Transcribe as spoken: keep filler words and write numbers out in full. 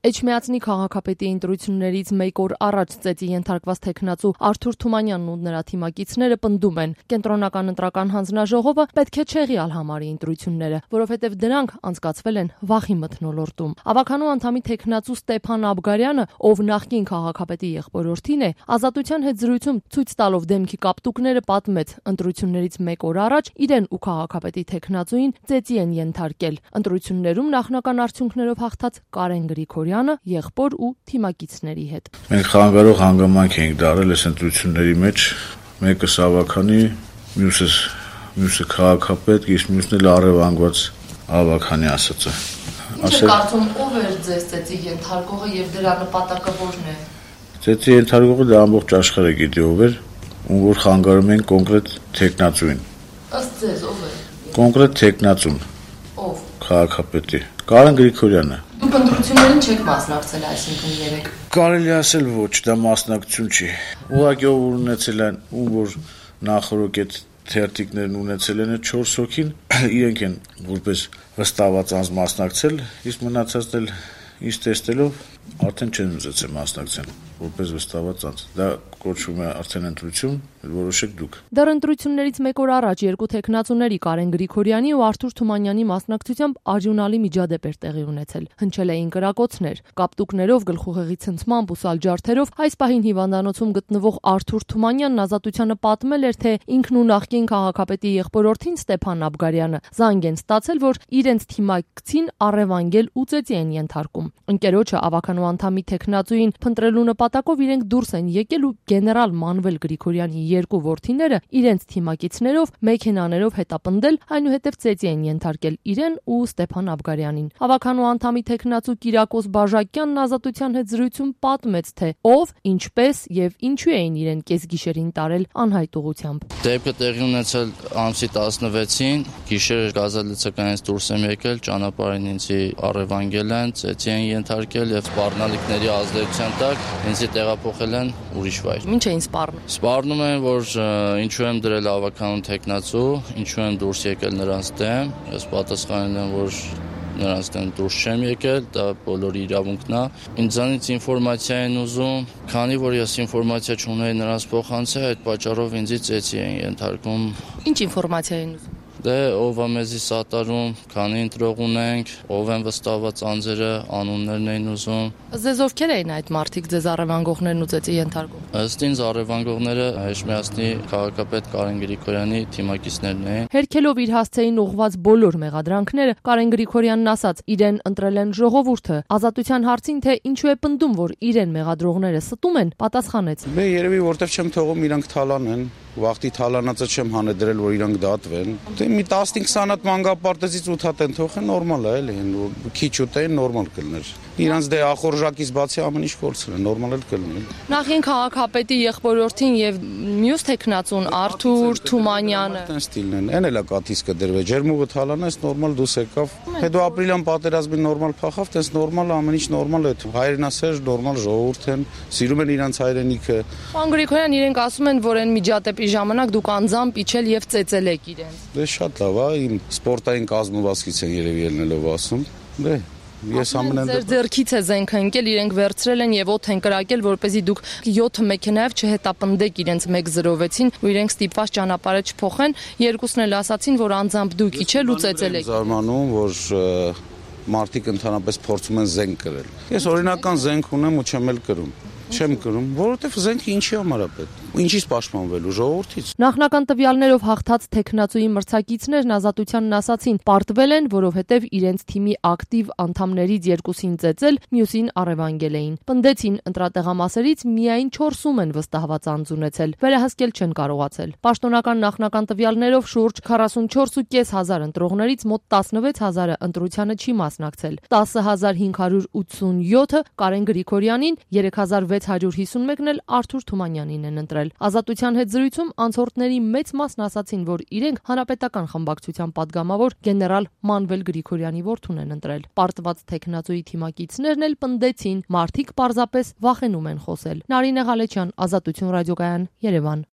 Էջմիածնի քաղաքապետի ընտրություններից մեկ օր առաջ ծեծի ենթարկված թեկնածու Արթուր Թումանյանն ու նրա թիմակիցները պնդում են, կենտրոնական ընտրական հանձնաժողովը պետք է չեղյալ համարի ընտրությունները, որովհետև դրանք անցկացվել են վախի մթնոլորտում։ Ավականու անդամի թեկնածու Ստեփան Աբգարյանը, ով նախկին քաղաքապետի եղբորորդին է, Ազատության հետ զրույցում ցույց տալով դեմքի կապտուկները պատմեց, ընտրություններից մեկ օր առաջ իրեն ու քաղաքապետի թեկնածուին ծեծի են ենթարկել։ Ընտրություններում նախնական արդյունքներով հաղթած Կարեն Գրիգորյանը եղբոր ու թիմակիցների հետ։ Մենք խանգարող հանգամանք ենք դարել այս ընտրությունների մեջ, մեկը Ավականի, մյուսը մյուսը քաղաքապետ, իսկ մյուսն էլ առևանգված Ավականի ասածը։ Ինչ կարծում ով էր ձեզ ծեծի ենթարկողը եւ դրա նպատակը որն է։ Ծեծի ենթարկողը դա ամբողջ աշխարհը գիտի ով էր, ում որ խանգարում են կոնկրետ թեկնածուին։ Ըստ ձեզ ով է։ Կոնկրետ թեկնածուն։ Ով։ Քաղաքապետի Կարեն Գրիգորյանը։ Դուք ընտրություններին չեք մասնակցել այսինքն երեք։ Կարելի ասել ոչ, դա մասնակցություն չի։ Ուղղակի ով ունեցել են, ում որ նախորդ այդ թերթիկներն ունեցել են չորս հոգին, իրենք են որպես վստահված անձ մասնակցել, իսկ մնացածն էլ ինչ տեսնելով արդեն չեն ուզեցել մասնակցել որպես վստահված անձ։ Դա կոչվում է արդեն ընտրություն, որոշեք դուք։ Դեռ ընտրություններից մեկ օր առաջ երկու թեկնածուների Կարեն Գրիգորյանի ու Արթուր Թումանյանի մասնակցությամբ արյունալի միջադեպ էր տեղի ունեցել։ Հնչել էին կրակոցներ, կապտուկներով, գլխուղեղի ցնցմամբ ու սալջարդերով։ Այս պահին հիվանդանոցում գտնվող Արթուր Թումանյանն Ազատությանը պատմել էր, թե ինքն ու նախկին քաղաքապետի եղբորորդին Ստեփան Աբգարյանը զանգ են ստացել, որ իրենց թիմակցին առևանգել ու ծեծի են ենթարկում։ Ընկերոջը ավականու անդամի թեկնածուին փնտրելու նպատակով իրենք դուրս են եկել ու գեներալ Մանվել Գրիգորյանի երկու որդիները իրենց թիմակիցներով մեքենաներով հետապնդել, այնուհետև ծեծի են ենթարկել իրեն ու Ստեփան Աբգարյանին։ Ավականու անդամի թեկնածու Կիրակոս Բաժակյանն Ազատության հետ զրույցում պատմեց, թե ով, ինչպես եւ ինչու էին իրեն կեսգիշերին տարել անհայտ ուղությամբ։ Դեպքը տեղի ունեցել ամսի տասնվեցին, գիշերը գազալցականից դուրս եմ եկել, ճանապարհին ինձ առևանգել են, ծեծի են ենթարկել եւ սպառնալիքների ազդեցության տակ ինձ տեղափոխել են ուրիշ վայր։ Ինչ էին սպառնում։ Սպառնում են, որ ինչու եմ դրել ավականուն թեկնածու, ինչու եմ դուրս եկել նրանց դեմ, ես պատասխանել եմ, որ նրանց դեմ դուրս չեմ եկել, դա բոլորի իրավունքն է։ Ինձանից ինֆորմացիա են ուզում, քանի որ ես ինֆորմացիա չունեի նրանց փոխանցել, այդ պատճառով ինձ ծեծի են ենթարկում։ Ինչ ինֆորմացիա են ուզում։ Դե ով է մեզի սատարում, քանի ընտրող ունենք, ով են վստահված անձերը, անուններն էին ուզում։ Ձեզ ովքեր էին այդ մարդիկ, ձեզ առևանգողներն ու ծեծի ենթարկում։ Ըստ ինձ առևանգողները Էջմիածնի քաղաքապետ Կարեն Գրիգորյանի թիմակիցներն էին։ Հերքելով իր հասցեին ուղղված բոլոր մեղադրանքները, Կարեն Գրիգորյանն ասաց, իրեն ընտրել են ժողովուրդը։ Ազատության հարցին, թե ինչու է պնդում, որ իրեն մեղադրողները ստում են, պատասխանեց. Դե երևի որտեվ չեմ թողում իրանք թալանեն, վախտի թալանածը չեմ հանեդրել, որ իրանք դատվեն։ Դե մի տասնհինգ հատ մանգապարտեզից ութ հատ են թողեն, նորմալ է, էլի, քիչ ուտեն, նորմալ կլներ։ Իրանց դե ախորժակից բացի ամեն ինչ կորցրել են, նորմալ էլ կլներ։ Նախին քաղաքապետի եղբորորդին եւ մյուս թեկնածուն Արթուր Թումանյանը։ Այդտեն ստիլն են, այն էլա կաթիսկը դրվե, ջերմուղը թալանես, նորմալ դուս եկավ։ Հետո ապրիլյան պատերազմին նորմալ փախավ, տես նորմալ ամեն ինչ նորմալ է։ Հայրենասեր նորմալ ժողովուրդ են, սիրում են իրանց հայրենիքը։ Պարոն Գրիգորյան, իրենք ասում են, որ այն միջադեպի ժամանակ դուք անձամբ իջել եւ ծեծել եք իրենց։ Դե շատ լավ, իմ սպորտային կազմվածքից են երևի ելնելով ասում։ Դե ես ամենայն ձեր ձեռքից է զենքը ընկել, իրենք վերցրել են եւ օդ են կրակել, որպեսզի դուք յոթ մեքենայով չհետապնդեք իրենց մեկ զրովեցին, ու իրենք ստիպված ճանապարհը չփոխեն, երկուսն էլ ասացին, որ անձամբ դուք իջել ու ծեծել եք։ Զարմանում, որ մարդիկ ընդհանրապես փորձում են զենք կրել։ Ես օրինական զենք ունեմ ու չեմ էլ կրում։ Չեմ կրում, որովհետև զենքը ինչի համար է պետք։ Ինչից պաշտպանվելու ժողովրդից։ Նախնական տվյալներով հաղթած թեկնածուի մրցակիցներն Ազատությանն ասացին, պարտվել են, որովհետև իրենց թիմի ակտիվ անդամներից երկուսին ծեծել, մյուսին առևանգել էին։ Պնդեցին, ընտրատեղամասերից միայն չորսում են վստահված անձ ունեցել, վերահսկել չեն կարողացել։ Պաշտոնական նախնական տվյալներով շուրջ քառասունչորս հազար պինսյոն ընտրողներից մոտ տասնվեց հազարը ընտրությանը չի մասնակցել։ տասը հազար հինգ հարյուր ութսունյոթը Կարեն Գրիգորյանին, երեք հազար վեց հարյուր հիսունմեկն էլ Արթուր Թումանյանին են ընտրել։ Ազատության հետ զրույցում անցորդների մեծ մասն ասացին, որ իրենք հանրապետական խմբակցության падգամավոր գեներալ Մանվել Գրիգորյանի որդուն են ընտրել։ Պարտված թեկնածուի թիմակիցներն էլ պնդեցին, մարդիկ պարզապես վախենում են խոսել։ Նարինե Ղալեչյան, Ազատություն ռադիոկայան, Երևան։